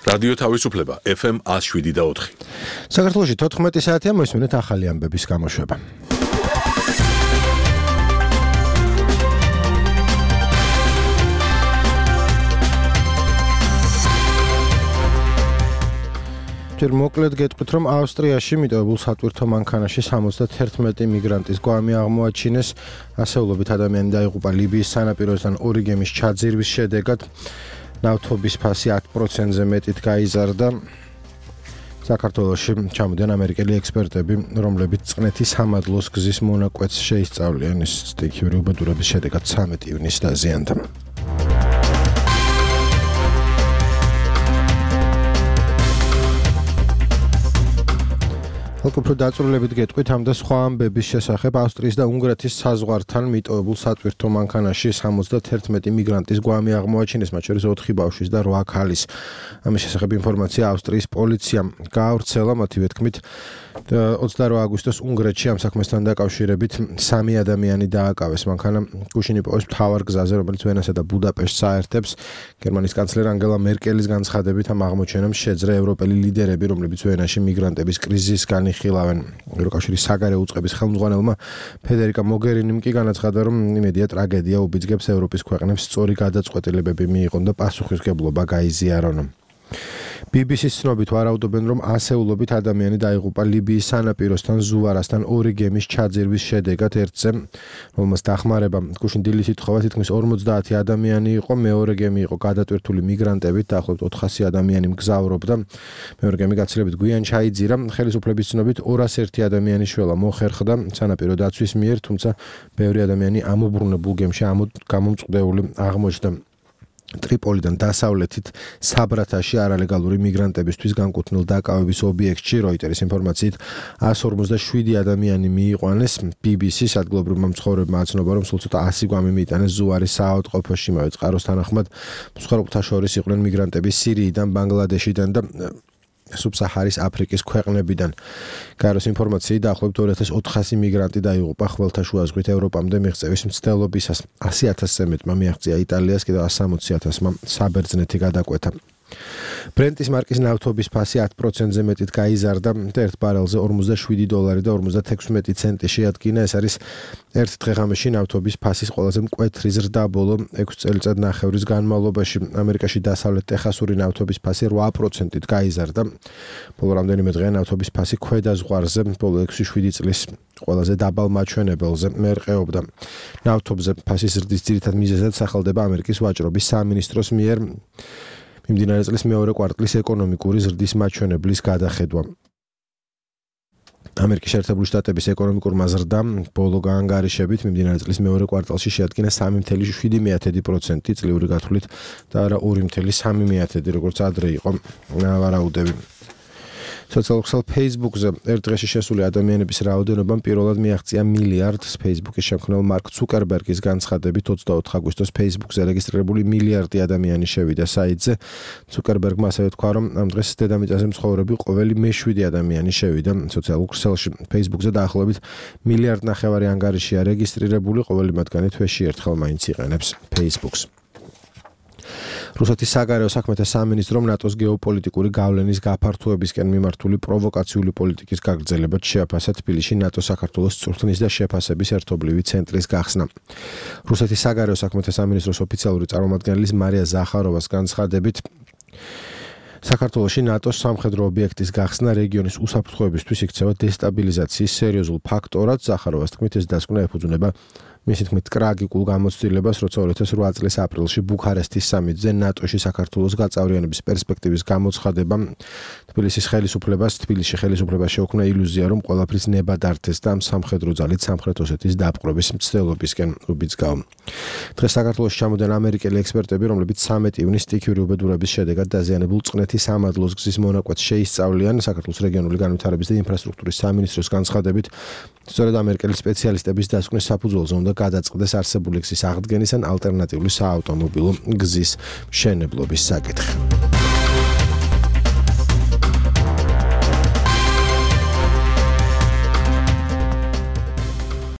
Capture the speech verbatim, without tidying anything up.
რადიო თავისუფლება ეფ ემ one oh seven point four. საქართველოში თოთხმეტი საათია მოსმენთ ახალი ამბების გამოშვება. ჯერ მოკლედ გეტყვით, რომ ავსტრიაში მიტოვებულ სატვირთო მანქანაში სამოცდაერთი მიგრანტის გვამი აღმოაჩინეს. ასეულობით ადამიანი დაიღუპა ლიბიის სანაპიროსთან ორი გემის ჩაძირვის შედეგად. ნავთობის ფასი ათ პროცენტზე მეტით გაიზარდა. საქართველოში ჩამოდიან ამერიკელი ექსპერტები, რომლებიც წყნეთის სამადლოს გზის მონაკვეთს შეისწავლიან. ეს სტიქიური უბედურების შედეგად ცამეტი ივნისს დაზიანდა. უფრო დაწვრილებით გეტყვით ამ და სხვა ამბების შესახებ. ავსტრიის და უნგრეთის საზღვართან მიტოვებულ სატვირთო მანქანაში სამოცდაერთი მიგრანტის გვამი აღმოაჩინეს, მათ შორის ოთხი ბავშვის და რვა ქალის. ამის შესახებ ინფორმაცია ავსტრიის პოლიციამ გაავრცელა. მათი თქმით, ოცდარვა აგვისტოს უნგრეთში ამ საქმესთან დაკავშირებით სამი ადამიანი დააკავეს. მანქანა გუშინ იპოვეს მთავარ გზაზე, რომელიც ვენასა და ბუდაპეშტს აერთებს. გერმანიის კანცლერ ანგელა მერკელის განცხადებით ამ აღმოჩენამ შეძრა ევროპელი ლიდერები, რომლებიც ვენაში მიგრანტების კრიზისს განიხილავენ. ევროკავშირის საგარეო უწყების ხელმძღვანელმა ფედერიკა მოგერინიმ კი განაცხადა, რომ იმედია ტრაგედია უბიძგებს ევროპის ქვეყნებს სწორი გადაწყვეტილებები მიიღონ და პასუხისმგებლობა გაიზიარონ. ბი ბი სის ცნობით ვარაუდობენ, რომ ასეულობით ადამიანი დაიღუპა ლიბიის სანაპიროსთან ზუვარასთან ორი გემის ჩაძირვის შედეგად. ერთზე, რომელმაც დახმარება გუშინ დილით ითხოვა, თითქმის ორმოცდაათი ადამიანი იყო. მეორე გემი იყო გადატვირთული მიგრანტებით, დაახლოებით ოთხასი ადამიანი მგზავრობდა. მეორე გემი გაცილებით გვიან ჩაიძირა. ხელისუფლების ცნობით ორას ერთი ადამიანი შველა მოხერხდა სანაპირო დაცვის მიერ, თუმცა ბევრი ადამიანი ამობრუნებულ გემში გამომწყვდეული აღმოჩნდა. ტრიპოლიდან დასავლეთით საბრათაში არალეგალური მიგრანტებისთვის განკუთვნილ დაკავების ობიექტში როიტერის ინფორმაციით one forty-seven ადამიანი მიიყვანეს. ბი ბი სის ადგილობრივმა მცხოვრებმა აცნობა, რომ სულ ცოტა one hundred გვამი მიიტანეს ზუარის საავადმყოფოში. იმავე წყაროს თანახმად მსხვერპლთა შორის იყვნენ მიგრანტები სირიიდან, ბანგლადეშიდან და სუბსაჰარის აფრიკის ქვეყნებიდან. გაეროს ინფორმაციით დაახლოებით ორი ათას ოთხასი მიგრანტი დაიღუპა ხმელთაშუა ზღვით ევროპამდე მიღწევის მცდელობისას. ასი ათასზე მეტმა მიაღწია იტალიას, კიდევ one hundred sixty ათასმა საბერძნეთი გადაკვეთა. ბრენტის მარკის ნავთობის ფასი ათ პროცენტზე მეტით გაიზარდა და ერთ ბარელზე ორმოცდაშვიდი დოლარი და ორმოცდათექვსმეტი ცენტი შეადგინა. ეს არის ერთ დღე-ღამეში ნავთობის ფასის ყველაზე მკვეთრი ზრდა ბოლო ექვს წელიწადნახევრის განმავლობაში. ამერიკაში დასავლეთ ტეხასური ნავთობის ფასი რვა პროცენტით გაიზარდა. ბოლო რამდენიმე დღეა ნავთობის ფასი ქვედა ზღვარზე ბოლო ექვსი შვიდი წლის ყველაზე დაბალ მაჩვენებელზე მერყეობდა. ნავთობზე ფასის ზრდის ძირითად მიზეზად სახელდება ამერიკის ვაჭრობის სამინისტროს მიერ მიმდინარე წლის მეორე კვარტლის ეკონომიკური ზრდის მაჩვენებლის გადახედვა. ამერიკის შეერთებული შტატების ეკონომიკურმა ზრდამ ბოლო გაანგარიშებით მიმდინარე წლის მეორე კვარტალში შეადგინა სამი ფاصლე შვიდი პროცენტი წლიური გათვლით და არა ორი ფاصლე სამი როგორც ადრე იყო ვარაუდები. სოციალურ ქსელ Facebook-ზე ერთ დღეში შესული ადამიანების რაოდენობამ პირველად მიაღწია მილიარდს. Facebook-ის შემქმნელ მარკ ცუკერბერგის განცხადებით ოცდაოთხ აგვისტოს Facebook-ზე რეგისტრირებული მილიარდი ადამიანი შევიდა საიტზე. ცუკერბერგმა ასევე თქვა, რომ ამ დღეს დედამიწაზე მცხოვრები ყოველი მეშვიდე ადამიანი შევიდა სოციალურ ქსელში. Facebook-ზე დაახლოებით მილიარდ ნახევარი ანგარიშია რეგისტრირებული, ყოველი მათგანი თვეში ერთხელ მაინც იყენებს Facebook-ს. რუსეთის საგარეო საქმეთა სამინისტრომ ნატოს გეოპოლიტიკური გავლენის გაფართოებისკენ მიმართული პროვოკაციული პოლიტიკის გაგრძელებად შეაფასა თბილისში ნატოს საქართველოს წვრთნის და შეფასების ერთობლივი ცენტრის გახსნა. რუსეთის საგარეო საქმეთა სამინისტროს ოფიციალური წარმომადგენლის მარია ზახაროვას განცხადებით, საქართველოში ნატოს სამხედრო ობიექტის გახსნა რეგიონის უსაფრთხოებისთვის იქცევა დესტაბილიზაციის სერიოზულ ფაქტორად. ზახაროვას თქმით, ეს დასკვნა ეფუძნება მისი თქმით ტრაგიკულ გამოცდილებას, როცა ორი ათას რვა წლის აპრილში ბუქარესტის სამიტზე ნატოში საქართველოს გაწევრიანების პერსპექტივის გამოცხადება თბილისის ხელისუფლებას თბილისში ხელისუფლებას შეუქმნა ილუზია, რომ ყველაფრის ნება დართეს და სამხედრო ძალით სამხრეთ ოსეთის დაპყრობის მცდელობისკენ უბიძგავ. დღეს საქართველოში ჩამოდიან ამერიკელი ექსპერტები, რომლებიც ცამეტი ივნისს სტიქიური უბედურების შედეგად დაზიანებულ წყნეთის სამადლოს გზის მონაკვეთს შეისწავლიან. საქართველოს რეგიონული განვითარების და ინფრასტრუქტურის სამინისტროს განცხადებით, სწორედ ამერიკელი სპეციალისტების დასკვნის საფუძველზე უნდა გადაწყდეს არსებული გზის აღდგენის ან ალტერნატიული საავტომობილო გზის მშენებლობის საკითხი.